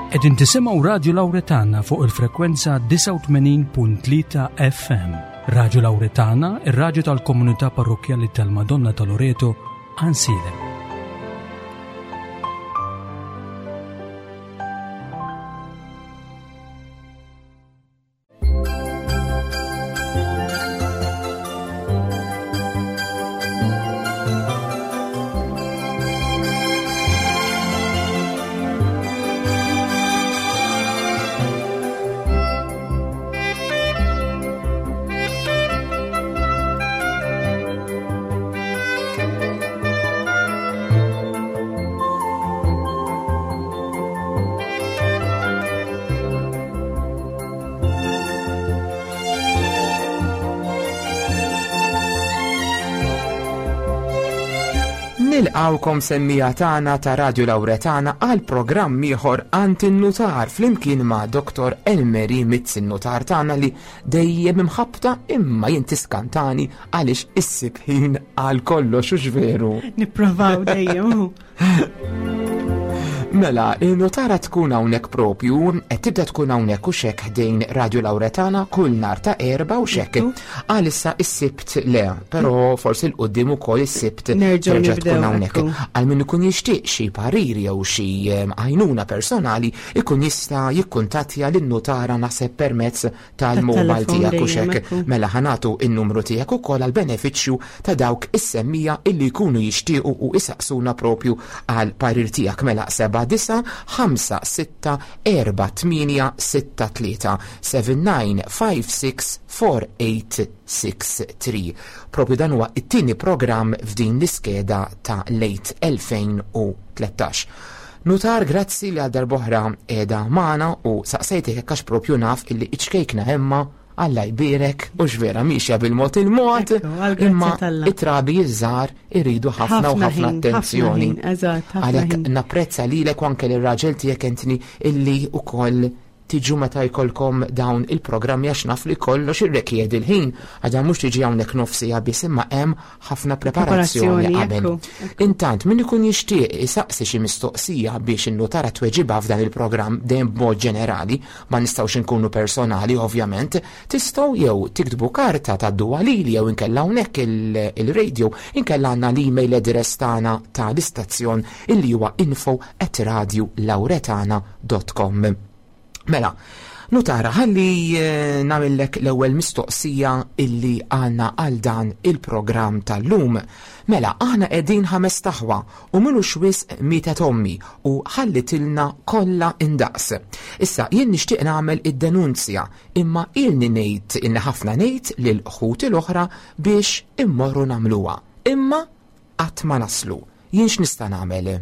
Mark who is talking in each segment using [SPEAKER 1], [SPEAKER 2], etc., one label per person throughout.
[SPEAKER 1] Qegħdin tisimgħu Radju Lawretana fuq il-frekwenza 89.3 FM. Radju Lawretana, ir-radju tal-komunità parrokkjali tal-Madonna ta' Loreto, Ansilem.
[SPEAKER 2] Nilqawkom semmija tagħna ta' Radio Lawretana għal programm ieħor għand in-nutar flimkien ma' Dr. Elmeri Mizzi n-nutar tagħna li dejjem imħabbta imma jien tiskantani għaliex issib ħin għal kollox u veru.
[SPEAKER 3] Nipprovaw dejjem.
[SPEAKER 2] Mela, il-notara tkun hawnhekk propju, qed tibda tkun hawnhekk u xek ħdejn Radio Lauretana kull nar ta' erba' u xek. Għalissa is-sibt le, però forsi l-qudiem ukoll is-sibt
[SPEAKER 3] nerġa'
[SPEAKER 2] tkun hawnhekk. Għal min ikun jixtieq xi parir jew xi ehm, għajnuna personali, ikun jista' jikkuntattja lin-notara naħseb permezz tal-mobile tiegħek u xek. Mela ħanatu in-numru tiegħek ukoll għal benefiċċju ta' dawk is-semmija illi jkunu jixtiequ u isaqsuna propju għal parir tiegħek mela 7 9 5 6 4 8 6 3 7 9 5 6 4 8 6 3. Propju dan huwa it-tieni programm f'din l-iskeda ta' late 2013. Nutar grazzi li għal darb'oħra qiegħda magħna u saqsejtek hekk għax propju naf illi iċ-ċkejkna Emma Alla jbierek u x'vera miexja bil-mod il-mod imma it-trabi iż-żgħar iridu ħafna u ħafna attenzjoni. Għalhekk napprezza lilek u anke lir-raġel tiegħek Anthony illi wkoll tiġu meta jkollkom dawn il-programmi għax naf li kollox irrekjedi l-ħin. Għadha mhux tiġi hawnhekk nofsija biss imma hemm ħafna preparazzjoni qabel. Intant, min ikun jixtieq isaqsi xi mistoqsija biex in-nutara tweġibha f'dan il-programm dejjem b'mod ġenerali, ma nistgħux inkunu personali ovvjament, tistgħu jew tiktbu karta tgħadduha lili jew inkella hawnhekk il-radio, inkella għandna l-email address tagħna tal-istazzjon illi huwa info at radiolauretana com. Mela, nutara, ħalli eh, nagħmillek l-ewwel mistoqsija illi għandna għal dan il-programm tal-lum. Mela, aħna qegħdin ħames taħwa u minux wisq mietet ommi u ħallitilna kollha indaqs. Issa jien nixtieq nagħmel id-denunzja imma ilni ngħid ilni ħafna ngħid lil ħuti l-oħra biex immorru nagħmluha. Imma qatt ma naslu. Jien x'nista' nagħmel?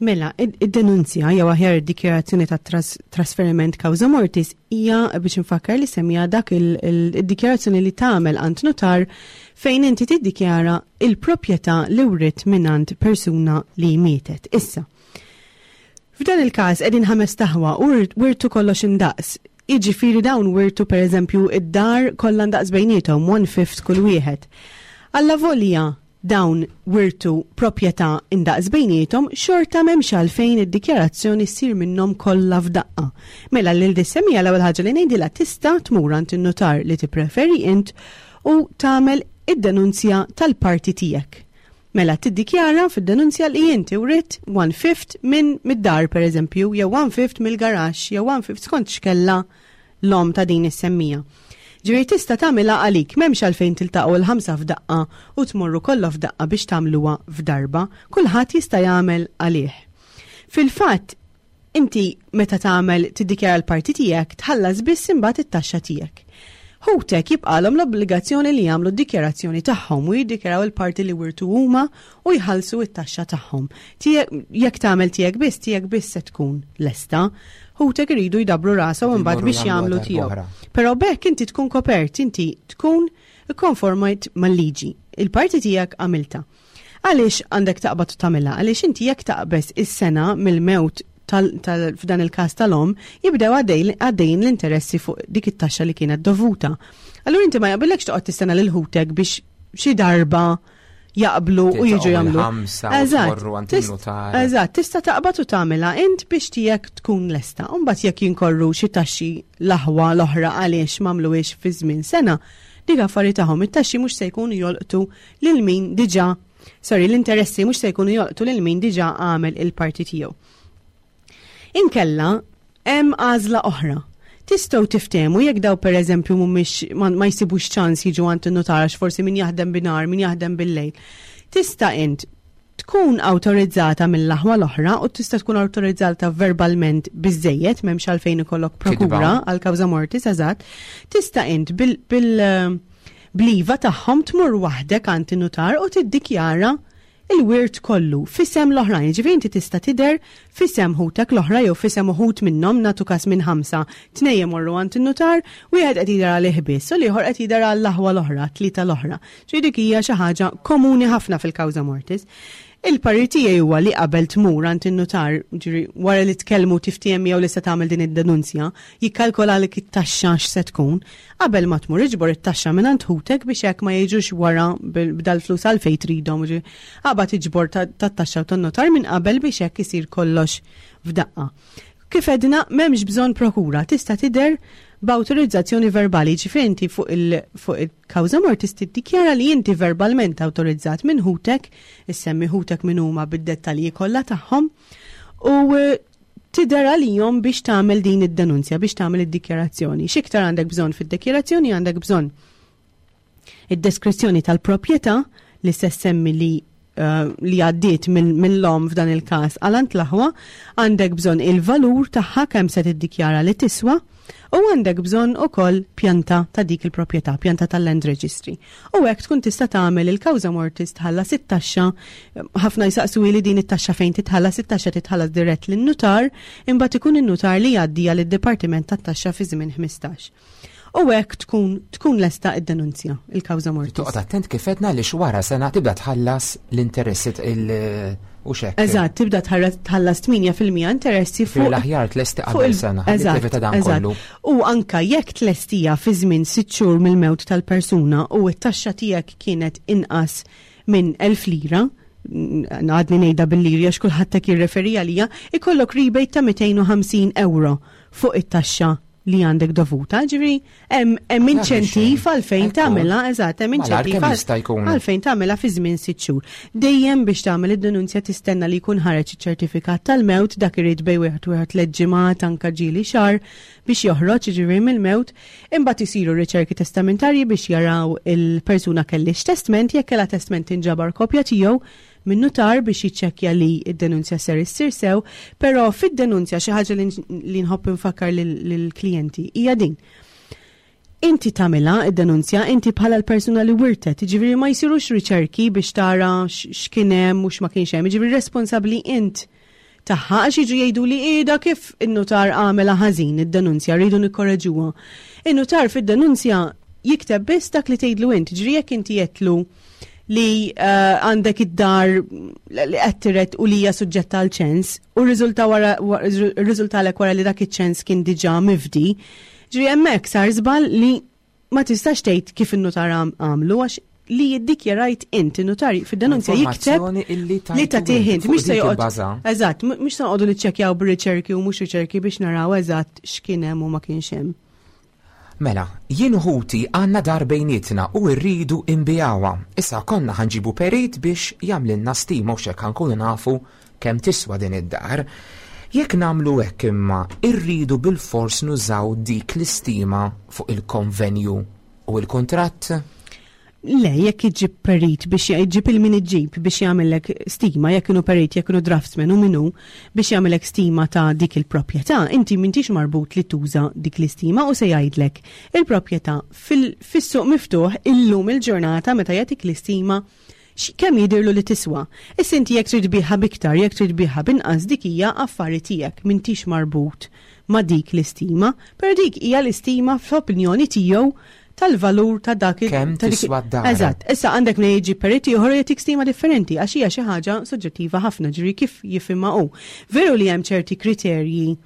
[SPEAKER 3] Mela, id-denunzja jew aħjar id-dikjarazzjoni ta' trasferiment causa mortis hija biex infakkar li semmija dak id-dikjarazzjoni li tagħmel għand notar fejn inti tiddikjara il-proprjetà li writ mingħand persuna li mietet. Issa, f'dan il-każ qegħdin ħames taħwa u wirtu kollox indaqs. Jiġifieri dawn wirtu pereżempju id-dar kollha ndaqs bejniethom, one fifth kull wieħed. Allavolja dawn wirtu proprjetà indaqs bejniethom, xorta m'hemmx għalfejn id-dikjarazzjoni ssir minnhom kollha f'daqqa. Mela lil dis-semmiegħa l-ewwel ħaġa li ngħidilha tista' tmur għand in-nutar li tippreferi int u tagħmel id-denunzja tal-parti tiegħek. Mela tiddikjara fid-denunzja li inti writt one fifth minn mid-dar pereżempju, jew one fifth mill-garaxx, jew one fifth skont x'kellha l-omm ta' din is-semmija. Ġifieri tista' tagħmilha għalik, m'hemmx għalfejn tiltaqgħu il-ħamsa f'daqqa u tmorru kollha f'daqqa biex tagħmluha f'darba, kulħadd jista' jagħmel għalih. Fil-fatt, inti meta tagħmel tiddikjara l-parti tiegħek tħallas biss imbagħad it-taxxa tiegħek. Ħutek jibqalhom l-obbligazzjoni li jagħmlu d-dikjarazzjoni tagħhom u jiddikjaraw il-parti li wirtu huma u jħallsu t-taxxa tagħhom. Jekk tagħmel tiegħek biss, tiegħek biss se tkun lesta. Ħutek iridu jdabbru rashom imbagħad biex jagħmlu tiegħu. Però b'hekk inti tkun kopert, inti tkun ikkonformajt mal-liġi. Il-parti tiegħek għamilta. Għaliex għandek taqbad u tagħmilha? Għaliex inti jekk taqbeż is-sena mill-mewt f'dan il-każ tal-omm, jibdew għaddejjin l-interessi fuq dik it-taxxa li kienet dovuta. Allura inti ma jaqbillekx toqgħod tistenna lil ħutek biex xi darba. jaqblu u jiġu jagħmlu.
[SPEAKER 2] Eżatt.
[SPEAKER 3] Eżatt, tista' taqbad u tagħmilha int biex tiegħek tkun lesta. U mbagħad jekk jinkorru xi taxxi l-aħwa l-oħra għaliex m'għamluhiex fi żmien sena, dik affari tagħhom it-taxxi mhux se jkunu jolqtu lil min diġà sorry, l-interessi mhux se jkunu jolqtu lil min diġà għamel il-parti tiegħu. Inkella hemm għażla oħra. Tistgħu tiftehmu jekk daw pereżempju mhumiex ma, ma jsibux ċans jiġu għand in-nutar għax forsi min jaħdem binhar, min jaħdem bil-lejl. Tista' int tkun awtorizzata mill-aħwa l-oħra u tista' tkun awtorizzata verbalment biżejjed m'hemmx għalfejn ikollok prokura għal kawża mortis eżatt. Tista' int bil, bil bliva tagħhom tmur waħdek għand in-nutar u tiddikjara il-wirt kollu f'isem l-oħrajn. Jiġifieri inti tista' tidher f'isem ħutek l-oħra jew f'isem uħud minnhom, nagħtu każ minn ħamsa, tnejn imorru għand in-nutar, wieħed qed jidher għalih biss u l-ieħor qed jidher għall-aħwa l-oħra, t-tlieta l-oħra. Ġifieri dik hija xi ħaġa komuni ħafna fil-kawża mortis. Il-parir tiegħi huwa li qabel tmur għand in-nutar, ġifieri wara li tkellmu tiftiehem miegħu li se tagħmel din id-denunzja, jikkalkolalek it-taxxa x'se tkun, Qabel ma tmur iġbor it-taxxa mingħand ħutek biex hekk ma jiġux wara b'dal-flus għalfejn tridhom. Aqbad iġbor tat-taxxa u tan-notar minn qabel biex hekk isir kollox f'daqqa. Kif għedna, m'hemmx bżonn prokura, tista' tidher b'awtorizzazzjoni verbali, jiġifieri inti fuq il-kawża mortis tiddikjara li inti verbalment awtorizzat minn ħutek, issemmi ħutek min huma bid-dettalji kollha tagħhom, u tidher għalihom biex tagħmel din id-denunzja, biex tagħmel id-dikjarazzjoni. X'iktar għandek bżonn fid-dikjarazzjoni? Għandek bżonn id-deskrizzjoni tal-proprjetà li se semmi li eh, li għaddiet mill-lom f'dan il-każ għal għand l-aħwa, għandek bżonn il-valur tagħha kemm se tiddikjara li tiswa, u għandek bżonn ukoll pjanta ta' dik il-proprjetà, pjanta tal-land registry. U hekk tkun tista' tagħmel il-kawża mortis tħallas it-taxxa, ħafna jsaqsu li din it-taxxa fejn titħallas, it-taxxa titħallas dirett lin-nutar, imbagħad ikun in-nutar li jgħaddiha lid-Dipartiment tat-Taxxa fi żmien 15. U hekk tkun tkun lesta id-denunzja, il-kawża mortis.
[SPEAKER 2] Toqgħod attent kif għedna li wara sena tibda tħallas l-interessi il u xek.
[SPEAKER 3] Eżatt, tibda tħallas 8% interessi
[SPEAKER 2] fuq. L-aħjar tlesti qabel sena, eżatt, dan kollu.
[SPEAKER 3] U anka jekk tlestija fi żmien sitt xhur mill-mewt tal-persuna u t-taxxa tiegħek kienet inqas minn 1000 lira, għadni ngħidha bil-liri għax kulħadd hekk jirreferi għalija, ikollok rebate ta' 250 euro fuq it-taxxa li għandek dovuta, ġifieri hemm inċentiv għalfejn tagħmilha, eżatt, hemm inċentiv għalfejn tagħmilha fi żmien sitt xhur. Dejjem biex tagħmel id-denunzja tistenna li jkun ħareġ iċ-ċertifikat tal-mewt, dak irid bejn wieħed u wieħed tliet ġimgħat anke ġieli xahar biex joħroġ jiġifieri mill-mewt, imbagħad isiru riċerki testamentarji biex jaraw il-persuna kellhiex testment, jekk kellha testment tinġabar kopja tiegħu minn nutar biex jiċċekkja li d-denunzja ser issir sew, però fid-denunzja xi ħaġa li nħobb infakkar lill-klijenti hija din. Inti tagħmilha id-denunzja inti bħala l-persuna li wirtet, jiġifieri ma jsirux riċerki biex tara x'kien hemm u x'ma kienx hemm, jiġifieri responsabbli int tagħha għax jiġu jgħidu li qiegħda kif in-nutar għamela ħażin id-denunzja rridu nikkoreġuha. In-nutar fid-denunzja jikteb biss dak li tgħidlu int, ġri jekk inti għedtlu li eh, għandek id-dar li qed tiret u li hija suġġetta għal ċens u rriżulta wara rriżultalek wara li dak iċ-ċens kien diġà mifdi. Ġri hemmhekk sar żball li ma tistax tgħid kif in-nutar għamlu għax li jiddikjarajt int in-nutar fid-denunzja jikteb li tagħtih int mhux se joqgħod. Eżatt, mhux se noqogħdu niċċekkjaw b'riċerki u mhux riċerki biex naraw eżatt x'kien hemm u ma kienx hemm.
[SPEAKER 2] Mela, jien u ħuti għandna dar bejnietna u rridu inbigħuha. Issa konna ħa nġibu perit biex jagħmlilna stima u x'hekk ħa nkunu nafu kemm tiswa din id-dar. Jekk nagħmlu hekk imma rridu bilfors nużaw dik l-istima fuq il-konvenju u l-kuntratt?
[SPEAKER 3] Le, jekk iġġib perit biex iġġib il-min iġġib biex jagħmellek stima, jekk inhu perit, jekk inhu draftsman u min hu biex jagħmellek stima ta' dik il-proprjetà, inti m'intix marbut li tuża dik l-istima u se jgħidlek il-proprjetà fis-suq miftuħ illum il-ġurnata meta jagħtik l-istima kemm jidhirlu li tiswa. Issa inti jekk trid tbigħha b'iktar, jekk trid tbigħha b'inqas dik hija affari tiegħek, m'intix marbut ma' dik l-istima, però dik hija l-istima fl-opinjoni tiegħu tal-valur ta' dak
[SPEAKER 2] il- Kemm
[SPEAKER 3] ta' dik-
[SPEAKER 2] tiswa d-dar.
[SPEAKER 3] Eżatt, issa għandek min jiġi perit ieħor u jagħtik stima differenti għax hija xi ħaġa soġġettiva ħafna, ġifieri kif jifhimha hu. Veru li hemm ċerti kriterji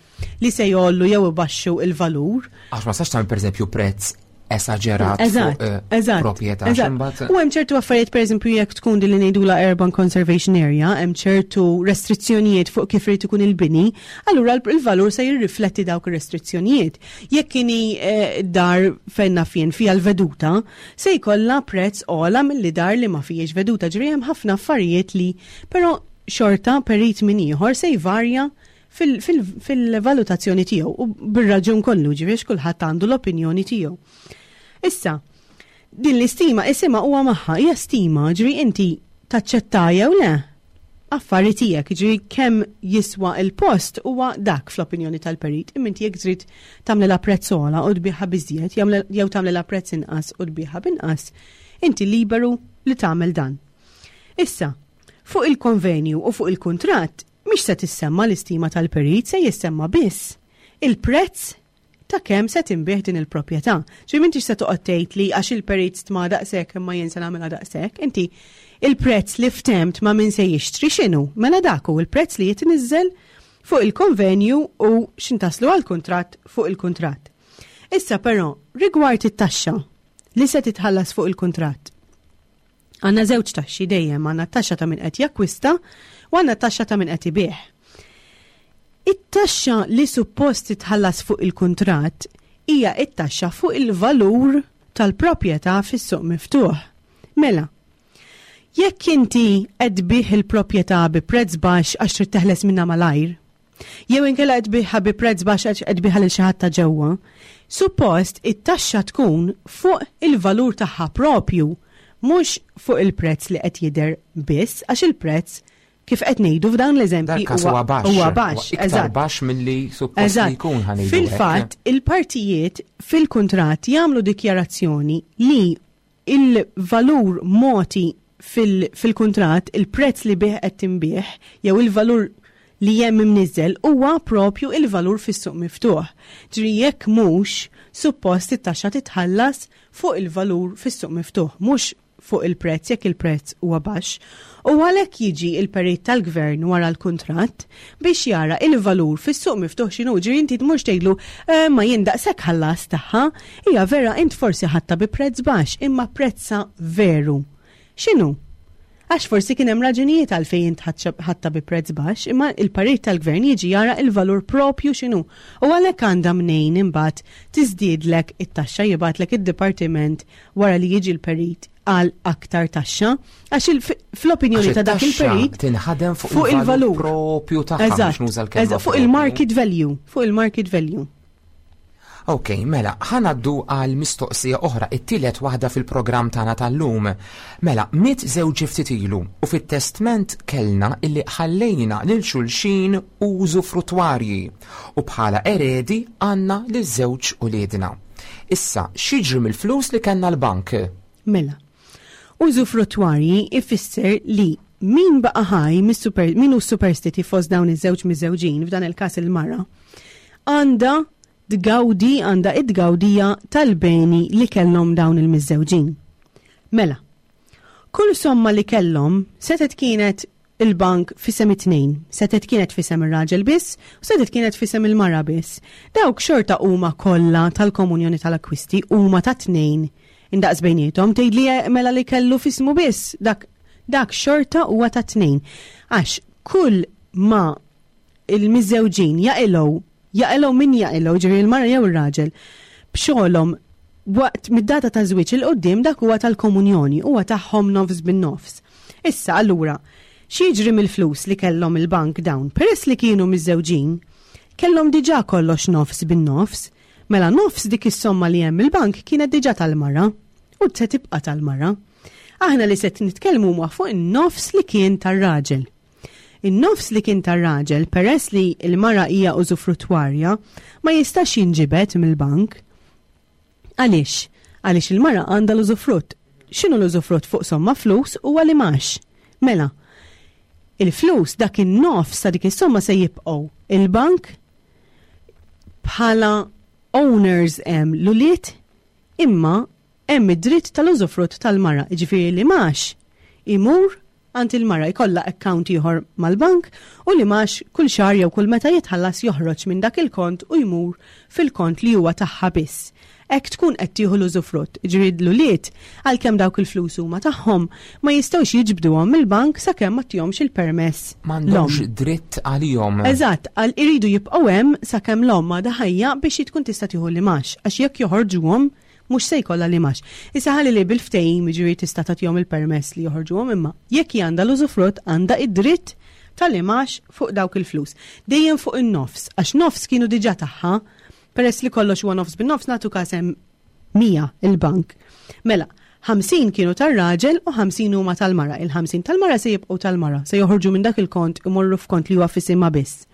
[SPEAKER 3] li se jgħollu jew ibaxxu il-valur.
[SPEAKER 2] Għax ma sax tagħmel pereżempju prezz esaġerat
[SPEAKER 3] Eżatt,
[SPEAKER 2] fuq eh,
[SPEAKER 3] eżatt.
[SPEAKER 2] proprjetà.
[SPEAKER 3] eżatt.
[SPEAKER 2] Imbagħad-
[SPEAKER 3] U hemm ċertu affarijiet pereżempju jekk tkun din li ngħidula urban conservation area, hemm ċertu restrizzjonijiet fuq kif irid ikun il-bini, allura l- il-valur se jirrifletti dawk ir-restrizzjonijiet. Jekk inhi eh, dar fejn naf jien fiha l-veduta, se jkollha prezz ogħla milli dar li ma fihiex veduta. Ġifieri hemm ħafna affarijiet li però xorta perit minn ieħor se jvarja fil- fil- fil-valutazzjoni tiegħu u bir-raġun kollu ġifieri kulħadd għandu l-opinjoni tiegħu. Issa, din l-istima isimha huwa magħha, hija stima, ġifieri inti taċċetta jew le. Affari tiegħek, ġifieri kemm jiswa il-post huwa dak fl-opinjoni tal-perit. Imma inti jekk trid tagħmel prezz ogħla u tbigħha biżjed, jew tagħmel prezz inqas u tbigħha binqas, inti liberu li tagħmel dan. Issa, fuq il-konvenju u fuq il-kuntratt mhix se tissemma l-istima tal-perit, se jissemma biss il-prezz ta' kemm se tinbiegħ din il-proprjetà. Ġifieri m'intix se toqgħod tgħid li għax il-perit stma daqshekk imma jien se nagħmilha daqshekk, inti il-prezz li ftemt ma' min se jixtri x'inhu? Mela dak hu il-prezz li jitniżżel fuq il-konvenju u x'intaslu għall-kuntratt fuq il-kuntratt. Issa però, rigward it-taxxa li se titħallas fuq il-kuntratt. Għandna żewġ taxxi dejjem, għandna t-taxxa ta' min qed jakkwista u għandna t-taxxa ta' min qed ibigħ. It-taxxa li suppost titħallas fuq il-kuntratt hija it-taxxa fuq il-valur tal-proprjetà fis-suq miftuħ. Mela, jekk inti qed tbigħ il-proprjetà bi prezz baxx għax trid teħles minnha malajr, jew inkella qed tbigħha bi prezz baxx għax qed tbigħha lil xi ħadd ta' ġewwa, suppost it-taxxa tkun fuq il-valur tagħha propju, mhux fuq il-prezz li qed jidher biss, għax il-prezz kif qed ngħidu f'dawn l-eżempji
[SPEAKER 2] Dal-każ huwa baxx.
[SPEAKER 3] Huwa baxx,
[SPEAKER 2] Iktar
[SPEAKER 3] eżatt.
[SPEAKER 2] baxx milli suppost li
[SPEAKER 3] Eżatt.
[SPEAKER 2] jkun ħa ngħidu hekk.
[SPEAKER 3] Fil-fatt, il-partijiet fil-kuntratt jagħmlu dikjarazzjoni li il-valur moti fil-kuntratt, il-prezz li bih qed tinbiegħ, jew il-valur li hemm imniżżel huwa propju il-valur fis-suq miftuħ. Ġifieri jekk mhux, suppost it-taxxa titħallas fuq il-valur fis-suq miftuħ, mhux fuq il-prezz jekk il-prezz huwa baxx. U għalhekk jiġi il-perit tal-gvern wara l-kuntratt biex jara il-valur fis-suq miftuħ x'inhu. Ġifieri inti tmurx tgħidlu, ma jien daqshekk ħallas tagħha, hija vera int forsi ħadtha bi prezz baxx, imma prezza veru. X'inhu? Għax forsi kien hemm raġunijiet għalfejn int ħadtha bi prezz baxx, imma il-parir tal-gvern jiġi jara il-valur propju x'inhu. U għalhekk għandha mnejn imbagħad tiżdiedlek it-taxxa, jibgħatlek id-dipartiment wara li jiġi l-perit għal aktar taxxa, għax fl-opinjoni
[SPEAKER 2] Għax
[SPEAKER 3] ta' dak
[SPEAKER 2] it-taxxa
[SPEAKER 3] il-perit
[SPEAKER 2] tinħadem fuq
[SPEAKER 3] fuq
[SPEAKER 2] il-valur
[SPEAKER 3] il-valur
[SPEAKER 2] propju tagħha, biex
[SPEAKER 3] Eżatt,
[SPEAKER 2] nuża l-kelma
[SPEAKER 3] eżatt, fuq
[SPEAKER 2] propju.
[SPEAKER 3] il-market value, fuq il-market value.
[SPEAKER 2] Ok, mela, ħanaddu għal mistoqsija oħra, it-tielet waħda fil-programm tagħna tal-lum. Mela, miet żewġi ftit ilu u fit-testment kellna illi ħallejna lil xulxin użu frutwarji u bħala eredi għandna lil żewġ uliedna. Issa, x'jiġri mill-flus li kellna l-bank?
[SPEAKER 3] Mela, użu frutwarji ifisser li min baqa' ħaj min hu superstiti fost dawn iż-żewġ miżewġin, f'dan il-każ il-mara, għandha tgawdi, għandha id-gawdija tal-beni li kellhom dawn il-miżżewġin. Mela, kull somma li kellhom setet kienet il-bank fisem it-tnejn, setet kienet fisem ir-raġel biss u setet kienet fisem il-mara biss. Dawk xorta huma kollha tal-komunjoni tal-akkwisti huma ta' tnejn indaqs bejniethom, tgħid li mela li kellu fismu biss, dak xorta huwa ta' tnejn. Għax kull ma il-miżżewġin jaqilgħu, jaqilgħu min jaqilgħu, ġifieri il-mara jew ir-raġel, b'xogħolhom waqt mid-data ta' żwieġ il qudiem dak huwa tal-komunjoni, huwa tagħhom nofs bin-nofs. Issa allura, x'jiġri mill-flus li kellhom il-bank dawn? Peress li kienu miżżewġin, kellhom diġà kollox nofs bin-nofs, mela nofs dik is-somma li hemm il-bank kienet diġà tal-mara u se tibqa' tal-mara. Aħna li se nitkellmu huma fuq in-nofs li kien tar-raġel. In-nofs li kien tar-raġel, peress li l-mara hija użufruttwarja, ma jistax jinġibed mill-bank. Għaliex? Għaliex il-mara għandha l-użufrutt. X'inhu l-użufrutt fuq somma flus huwa li max. Mela, il-flus dak in-nofs ta' dik is-somma se jibqgħu il-bank bħala owners hemm l-ulied, imma hemm id-dritt tal-użufrutt tal-mara, jiġifieri li max imur għand il-mara jkollha account ieħor mal-bank u l-imgħax kull xahar jew kull meta jitħallas joħroġ minn dak il-kont u jmur fil-kont li huwa tagħha biss. Hekk tkun qed tieħu l-użufrutt, jiġifieri l-ulied, għalkemm dawk il-flus huma tagħhom, ma jistgħux jiġbduhom mill-bank sakemm ma ttihomx il-permess l-omm.
[SPEAKER 2] M'għandhomx dritt għalihom.
[SPEAKER 3] Eżatt, għal iridu jibqgħu hemm sakemm l-omm għadha ħajja biex hi tkun tista' tieħu l-imgħax, għax jekk joħorġuhom mhux se jkollha l-imgħax. Issa ħalli li bil-ftehim jiġifieri tista' tagħtihom il-permess li joħorġuhom imma jekk hi għandha l-użufrutt għandha id-dritt tal-imgħax fuq dawk il-flus. Dejjem fuq in-nofs, għax nofs kienu diġà tagħha. Peress li kollox huwa nofs bin-nofs nagħtu każ hemm 100 il-bank. Mela, 50 kienu tar-raġel u 50 huma tal-mara. Il-50 tal-mara se jibqgħu tal-mara, se joħorġu minn dak il-kont imorru f'kont li huwa f'isimha biss.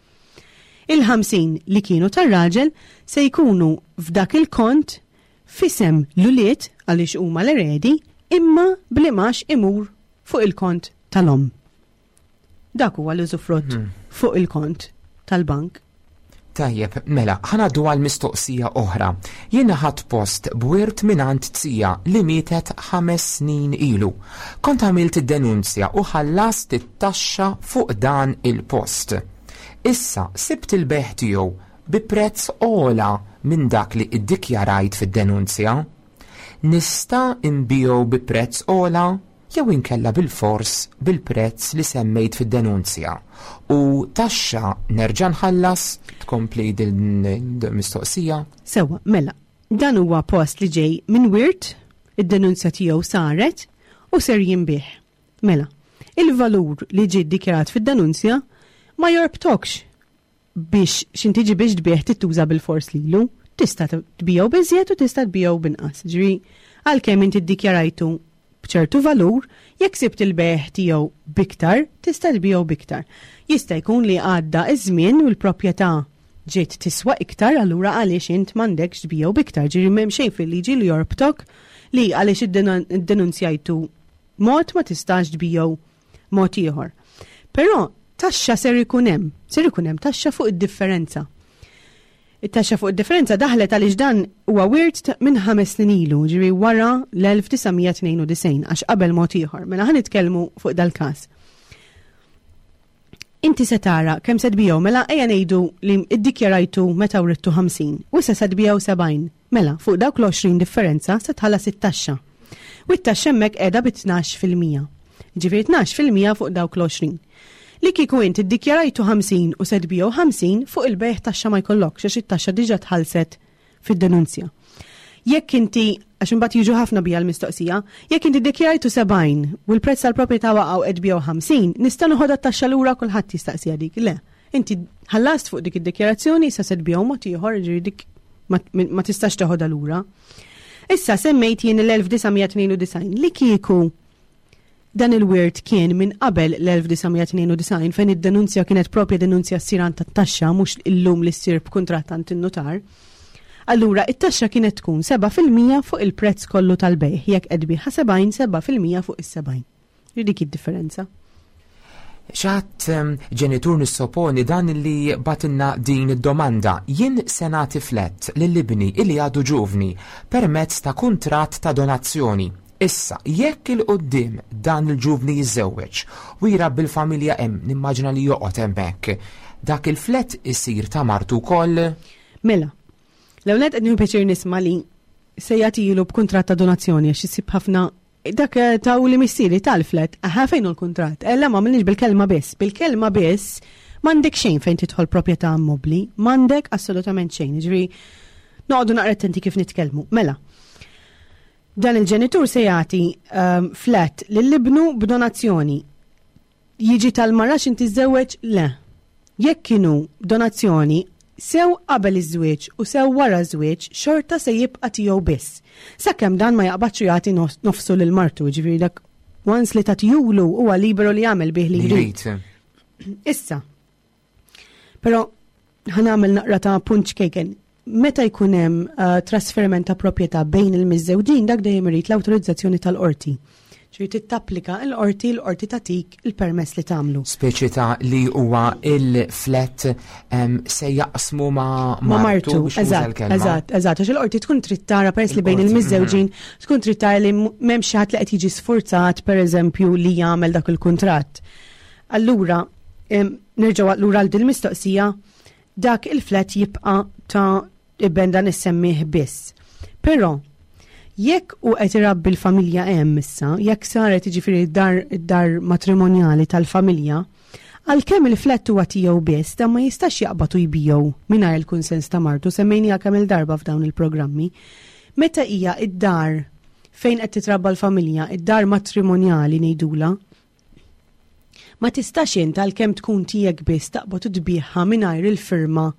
[SPEAKER 3] Il-50 li kienu tar-raġel se jkunu f'dak il-kont f'isem l-ulied għaliex huma l-eredi imma bl-imgħax imur fuq il-kont tal-omm. Dak huwa l-użufrutt hmm. fuq il-kont tal-bank.
[SPEAKER 2] Tajjeb, mela, ħanaddu għal mistoqsija oħra. Jiena ħadd post b'wirt mingħand tija li mietet ħames snin ilu. Kont għamilt id-denunzja u ħallast it-taxxa fuq dan il-post. Issa sibt il-beħ tiegħu bi prezz ogħla minn dak li iddikjarajt fid-denunzja. Nista' nbigħu bi prezz ogħla? jew inkella bilfors bil-prezz li semmejt fid-denunzja u taxxa nerġa' nħallas? Tkompli din il-mistoqsija.
[SPEAKER 3] Sewwa, mela, dan huwa post li ġej minn wirt, id-denunzja tiegħu saret u ser jinbiegħ. Mela, il-valur li ġie ddikjarat fid-denunzja ma jorbtokx biex x'inti tiġi biex tbigħ trid tuża bilfors lilu. Tista' tbigħu b'iżjed u tista' tbigħu b'inqas. Ġifieri għalkemm inti ddikjarajtu b'ċertu valur, jekk sibt il-bejgħ tiegħu b'iktar, tista' tbigħu b'iktar. Jista' jkun li għadda ż-żmien u l-proprjetà ġiet tiswa iktar, allura għaliex int m'għandekx tbigħu b'iktar. Ġifieri m'hemm xejn fil-liġi li jorbtok li għaliex iddenunzjajtu mod ma tistax tbigħu mod ieħor. Però taxxa ser ikun hemm, ser ikun hemm taxxa fuq id-differenza. It-taxxa fuq id-differenza daħlet għaliex dan huwa wirt minn ħames snin ilu, ġifieri wara l-1992, għax qabel mod ieħor. Mela ħa nitkellmu fuq dal-każ. Inti se tara kemm se tbigħu, mela ejja ngħidu li iddikjarajtu meta writtu 50 u issa se tbigħu 70. Mela, fuq dawk l-20 differenza se tħallas it-taxxa. U t-taxxa hemmhekk qiegħda bi 12%. Jiġifieri 12% fuq dawk l-20. Li kieku int iddikjarajtu 50 u se tbigħu 50, fuq il-bejgħ taxxa ma jkollokx għax it-taxxa diġà tħallset fid-denunzja. Jekk inti, għax imbagħad jiġu ħafna bija l-mistoqsija, jekk inti ddikjarajtu 70 u l-prezz tal-proprjetà waqa' u qed tbigħu 50, nista' noħodha t-taxxa lura kulħadd jistaqsiha dik. Le. Inti ħallast fuq dik id-dikjarazzjoni, issa se tbigħu mod ieħor, ġifieri dik ma tistax teħodha lura. Issa semmejt jien l-1992 li kieku dan il-wirt kien minn qabel l-1992 fejn id-denunzja kienet propja denunzja ssir għand tat-taxxa mhux illum li ssir b'kuntratt għand in-nutar. Allura it-taxxa kienet tkun 7% fuq il-prezz kollu tal-bejgħ jekk qed tbigħha 70 7% fuq is-70. Dik id-differenza.
[SPEAKER 2] Xatt ehm, ġenitur nissoponi dan li batinna din id-domanda. Jien se nagħti flett lil ibni illi għadu ġuvni permezz ta' kuntratt ta' donazzjoni. Issa, jekk il-qoddim dan il-ġuvni jiżżewweġ u jrabbi l-familja hemm, nimmaġina li joqgħod hemmhekk, dak il-flett isir ta' martu wkoll?
[SPEAKER 3] Mela, l-ewwel nett qed nieħu pjaċir nisma' li se jagħtilu b'kuntratt ta' donazzjoni għax isib ħafna Dak eh, ta' u li missieri tal-flet, aha fejn hu l-kuntratt? Eh, la ma għamilniex bil-kelma biss. Bil-kelma biss m'għandek xejn fejn tidħol proprjetà immobbli, m'għandek assolutament xejn. Ġifieri noqogħdu naqra attenti kif nitkellmu. Mela, dan il-ġenitur se jagħti um, flat lil ibnu b'donazzjoni. Jiġi tal-mara x'inti tiżżewweġ? Le. Jekk kienu donazzjoni, sew qabel iż-żwieġ u sew wara ż-żwieġ, xorta se jibqa' tiegħu biss. Sakemm dan ma jaqbadx u jagħti nofsu lil martu, jiġifieri dak once li tagħtihulu huwa liberu li jagħmel bih li jrid. Issa, però ħa nagħmel naqra ta' punt ċkejken. Meta jkun hemm uh, trasferiment ta' proprjetà bejn il-miżżewġin dak dejjem irid l-awtorizzazzjoni tal-qorti. Ġifieri trid tapplika l-qorti, l-qorti tagħtik il-permess li tagħmlu.
[SPEAKER 2] Speċi ta' li huwa il-flat se jaqsmu ma'
[SPEAKER 3] ma' martu. Eżatt, eżatt, eżatt, għax il-qorti tkun trid tara peress li bejn il-miżżewġin tkun trid tara li m'hemmx xi ħadd li qed jiġi sfurzat pereżempju li jagħmel dak il-kuntratt. Allura, nerġgħu lura għal din mistoqsija dak il-flat jibqa' ta' iben dan is-semmih biss. Però, jekk u qed irabbi l-familja hemm issa, jekk saret jiġifieri dar dar matrimonjali tal-familja, għalkemm il-flat huwa tiegħu biss, dan ma jistax jaqbad u jbigħu mingħajr il-kunsens ta' martu, semmejniha kemm il-darba f'dawn il-programmi. Meta hija id-dar fejn qed titrabba l-familja, id-dar matrimonjali ngħidula, Ma tistax int għalkemm tkun tiegħek biss taqbad u tbigħha mingħajr il-firma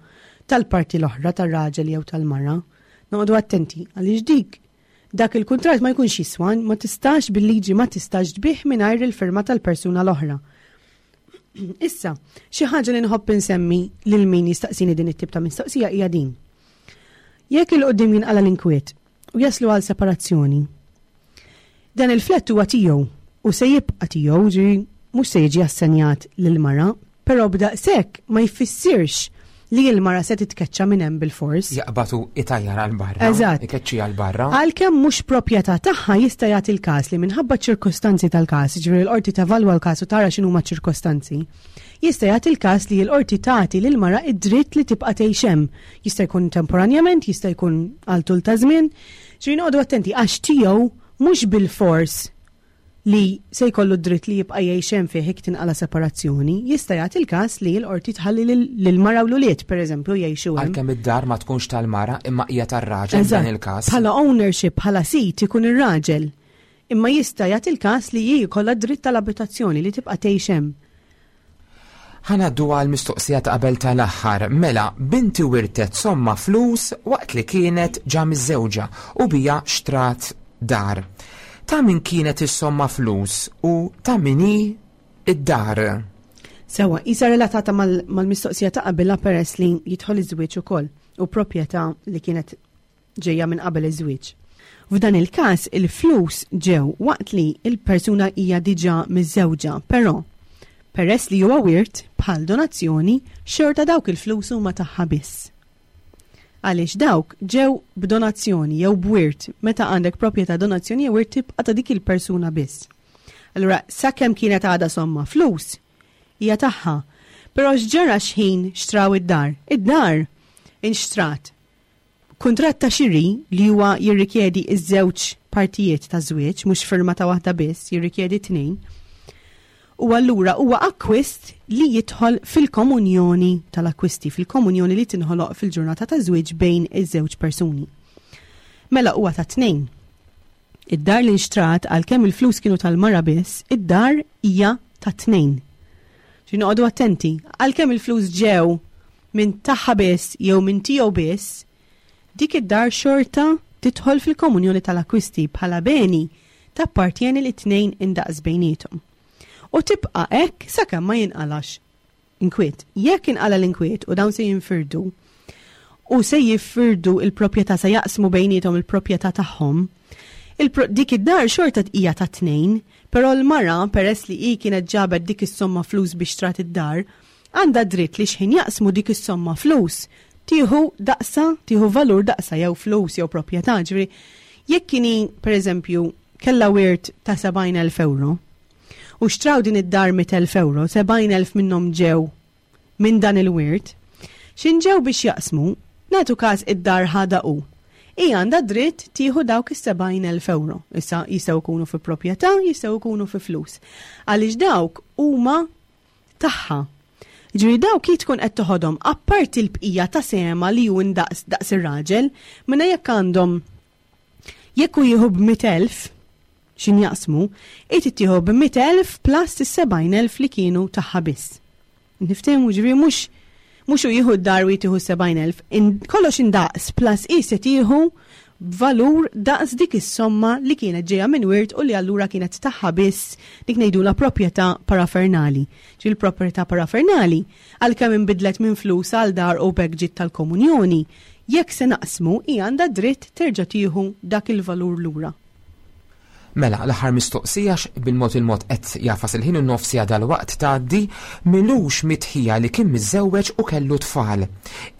[SPEAKER 3] tal-parti l-oħra tar-raġel jew tal-mara. Noqogħdu attenti għaliex dik dak il-kuntratt ma jkunx jiswa, ma tistax bil-liġi ma tistax tbigħ mingħajr il-firma tal-persuna l-oħra. Issa, xi ħaġa li nħobb insemmi lil min jistaqsini din it-tip ta' mistoqsija hija din. Jekk il-qudiem jinqala l-inkwiet u jaslu għal separazzjoni, Dan il-flett huwa tiegħu u se jibqa' tiegħu, ġifieri mhux se jiġi assenjat lill-mara, però b'daqshekk ma jfissirx li l-mara se titkeċċa minn hemm bilfors.
[SPEAKER 2] Jaqbad u itajjar għal barra.
[SPEAKER 3] Eżatt.
[SPEAKER 2] Ikeċċiha għal barra.
[SPEAKER 3] Għalkemm mhux proprjetà tagħha jista' jagħti l-każ li minħabba ċ-ċirkostanzi tal-każ, jiġifieri l-qorti tevalwa l-każ u tara x'inhuma ċ-ċirkostanzi, jista' jagħti l-każ li l-qorti tagħti lill-mara d-dritt li tibqa' tgħix hemm. Jista' jkun temporanjament, jista' jkun għal tul ta' żmien. Ġifieri noqogħdu attenti għax tiegħu mhux bilfors li se jkollu d-dritt li jibqa' jgħix hemm fih jekk tinqala' separazzjoni, jista' jagħti l-każ li l-qorti tħalli lill-mara u l-ulied, pereżempju, jgħixu hemm.
[SPEAKER 2] Għalkemm id-dar ma tkunx tal-mara imma hija tar-raġel f'dan il-każ.
[SPEAKER 3] Bħala ownership, bħala sid ikun ir-raġel. Imma jista' jagħti l-każ li hi jkollha d-dritt tal-abitazzjoni li tibqa' tgħix hemm.
[SPEAKER 2] Ħa ngħaddu għall-mistoqsija ta' qabel tal-aħħar. Mela, binti wirtet somma flus waqt li kienet ġa miżżewġa u biha xtrat dar. Ta' min kienet is-somma flus u ta' min hi d-dar?
[SPEAKER 3] Sewwa, qisha relatata mal-mistoqsija ta' qabilha peress li jidħol iż-żwieġ ukoll u proprjetà li kienet ġejja minn qabel iż-żwieġ. F'dan il-każ il-flus ġew waqt li l-persuna hija diġà miżżewġa, però peress li huwa wirt, bħal donazzjoni, xorta dawk il-flus huma tagħha biss. Għaliex dawk ġew b'donazzjoni jew b'wirt, meta għandek proprjetà donazzjoni jew wirt tibqa' ta' dik il-persuna biss. Allura sakemm kienet għadha somma flus, hija tagħha. Però x'ġara x'ħin xtraw id-dar? Id-dar inxtrat Kuntratt ta' xiri li huwa jirrikjedi ż-żewġ partijiet taż-żwieġ, mhux firma ta' waħda biss, jirrikjedi t-tnejn, u allura huwa akkwist li jidħol fil-komunjoni tal-akkwisti, fil-komunjoni li tinħoloq fil-ġurnata taż-żwieġ bejn iż-żewġ persuni. Mela huwa ta' tnejn. Id-dar li nxtrat għalkemm il-flus kienu tal-mara biss, id-dar hija ta' tnejn. Ġi noqogħdu attenti, għalkemm il-flus ġew minn tagħha biss jew minn tiegħu biss, dik id-dar xorta tidħol fil-komunjoni tal-akkwisti bħala beni tappartjeni lit-tnejn indaqs bejniethom. U tibqa' hekk sakemm ma jinqalax inkwiet. Jekk inqala' l-inkwiet u dawn se jinfirdu u se jifirdu il-proprjetà se jaqsmu bejniethom il-proprjetà tagħhom, dik id-dar xorta hija ta' tnejn, però l-mara peress li hi kienet ġabet dik is-somma flus biex xtrat id-dar, Għandha dritt li x'ħin jaqsmu dik is-somma flus, tieħu daqsha, tieħu valur daqsha jew flus jew proprjetà. Ġifieri, jekk kien hi, pereżempju, kellha wirt ta' 70,000 ewro u xtraw din id-dar 100,000 ewro, 70,000 minnhom ġew minn dan il-wirt, x'in ġew biex jaqsmu, nagħtu każ id-dar ħadha hu. Hi għandha dritt tieħu dawk is-70,000 ewro. Issa jistgħu jkunu fi proprjetà, jistgħu jkunu fi flus. Għaliex dawk huma tagħha. Jiġifieri dawk hi tkun qed toħodhom apparti l-bqija ta' sehemha li hu indaqs daqs ir-raġel, mela jekk għandhom jekk hu jieħu b'100,000 x'in jaqsmu, hi trid tieħu b'100,000 plus is-70,000 li kienu tagħha biss. Niftehmu ġifieri mhux mhux hu jieħu d-dar u hi tieħu s-70,000, kollox indaqs plus hi se tieħu b'valur daqs dik is-somma li kienet ġejja minn wirt u li allura kienet tagħha biss, dik ngħidulha proprjetà parafernali. Ġifieri l-proprjetà parafernali, għalkemm inbidlet minn flus għal dar u b'hekk ġiet tal-komunjoni, jekk se naqsmu hi għandha dritt terġa' tieħu dak il-valur lura.
[SPEAKER 2] Mela, l-aħħar mistoqsija bil-mod il-mod qed jafas il-ħin u nofsija dal-waqt tgħaddi milux mitħija li kien miżżewweġ u kellu tfal.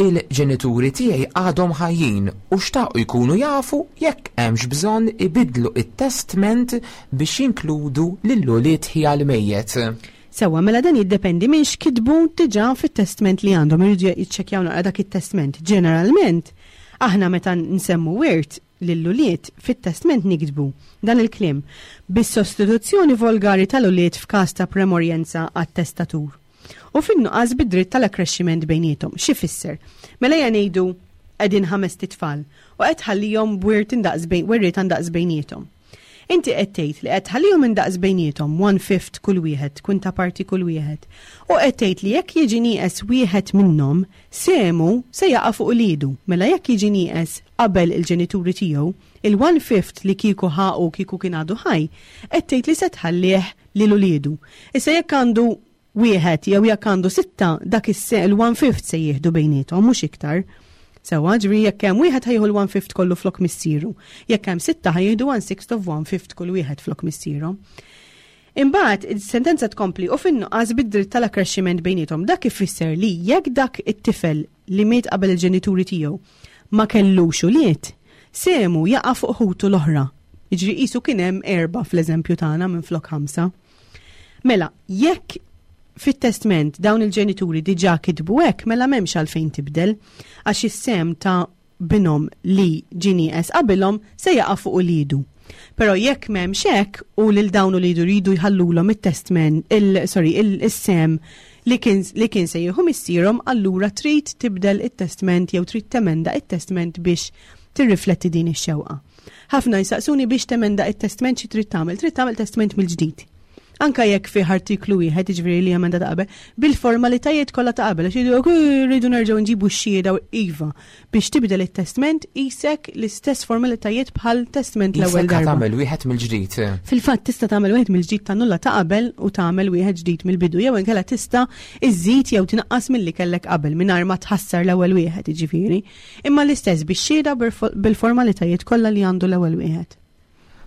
[SPEAKER 2] Il-ġenituri tiegħi għadhom ħajjin u xtaqu jkunu jafu jekk hemmx bżonn ibiddlu it-testment biex jinkludu lil ulied ħija l-mejjet.
[SPEAKER 3] Sewwa, mela dan jiddependi minn x'kitbu diġà fit-testment li għandhom, iridu jiċċekkjaw naqra dak it-testment. Ġeneralment, aħna meta nsemmu wirt lill-ulied, fit-testment niktbu dan il-kliem, bis-sostituzzjoni volgari tal-ulied f'każ ta' premorjenza għat-testatur. U fin-nuqqas bid-dritt tal-akkrexximent bejniethom. X'ifisser? Mela ejja ngħidu qegħdin ħamest itfal u qed tħallihom b'wirt indaqs bejn werrieta ndaqs bejniethom. Inti qed tgħid li qed tħallihom indaqs bejniethom, one fifth kull wieħed, kwinta parti kull wieħed. U qed tgħid li jekk jiġi nieqes wieħed minnhom, sehmu se jaqa' fuq uliedu. Mela jekk jiġi nieqes qabel il-ġenituri tiegħu, il-one fifth li kieku ħa hu kieku kien għadu ħaj, qed tgħid li se tħallih lil uliedu. Issa jekk għandu wieħed jew jekk għandu sitta, dak il-one fifth se jieħdu bejniethom, mhux iktar. Sewwa, ġifieri jekk hemm wieħed ħa jieħu l-one fifth kollu flok missieru. Jekk hemm sitta ħa jieħdu one sixth of one fifth kull wieħed flok missierhom. Imbagħad is-sentenza tkompli u fin-nuqqas bid-dritt tal-akkrexximent bejniethom. Dak ifisser li jekk dak it-tifel li miet qabel il-ġenituri tiegħu ma kellux ulied, sehmu jaqa' fuq ħutu l-oħra. Jiġri qisu kien hemm erba' fl-eżempju tagħna minflok ħamsa. Mela, jekk fit-testment dawn il-ġenituri diġà kitbu hekk, mela m'hemmx għalfejn tibdel, għax is-sehem ta' binhom li ġie nieqes qabilhom se jaqa' fuq uliedu. Però jekk m'hemmx hekk u lil dawn uliedu jridu jħallulhom it-testment, il, sorry, il-sehem li kien, li kien se jieħu missierhom, allura trid tibdel it-testment jew trid temenda it-testment biex tirrifletti din ix-xewqa. Ħafna jsaqsuni biex temenda it-testment xi trid tagħmel. Trid tagħmel testment mill-ġdid. Anka jekk fih artiklu wieħed, jiġifieri li emenda ta' qabel, bil-formalitajiet kollha ta' qabel, għax jgħidu rridu nerġgħu nġibu x-xhieda iva biex tibdel it-testment qisek l-istess formalitajiet bħal testment l-ewwel darba.
[SPEAKER 2] Tagħmel wieħed mill-ġdid.
[SPEAKER 3] Fil-fatt tista' tagħmel wieħed mill-ġdid tannulla ta' qabel u tagħmel wieħed ġdid mill-bidu jew inkella tista' iżżid jew tinaqqas milli kellek qabel mingħajr ma tħassar l-ewwel wieħed, jiġifieri. Imma l-istess bix-xhieda bil-formalitajiet kollha li għandu l-ewwel wieħed.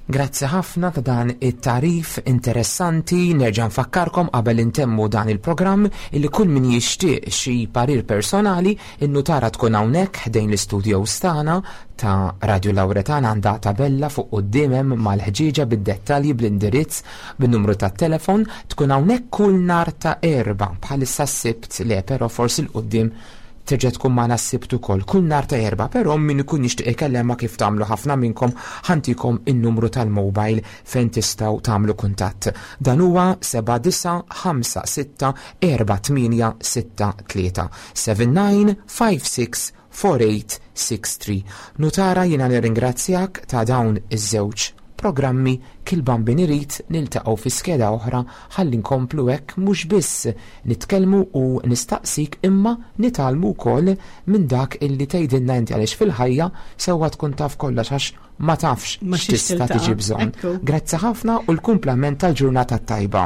[SPEAKER 2] Grazzi ħafna ta' dan it-tagħrif interessanti. Nerġa' nfakkarkom qabel intemmu dan il-programm illi kull min jixtieq xi parir personali in-nutara tkun hawnhekk ħdejn l-istudios tagħna ta' Radio Lauretana għandha tabella fuq quddiem hemm mal-ħġieġa bid-dettalji bl-indirizz bin-numru tat-telefon tkun hawnhekk kull nhar ta' Erbgħa bħalissa s-Sibt le però forsi 'l quddiem Terġa' tkun magħna s-Sibt ukoll, kull nhar ta' Erbgħa, però min ikun jixtieq ikellemha kif tagħmlu ħafna minnkom ħa ntikom in-numru tal-mobile fejn tistgħu tagħmlu kuntatt. Dan huwa 79564863 79564863. Nutara jiena nirringrazzjak ta' dawn iż-żewġ programmi Kil Bambin irid niltaqgħu fi skeda oħra ħalli nkomplu hekk mhux biss nitkellmu u nistaqsik imma nitgħallmu wkoll minn dak illi tgħidilna inti għaliex fil-ħajja sewwa tkun taf kollox għax ma tafx x'tista' tiġi bżonn. Grazzi ħafna u l-kumplament tal-ġurnata t-tajba.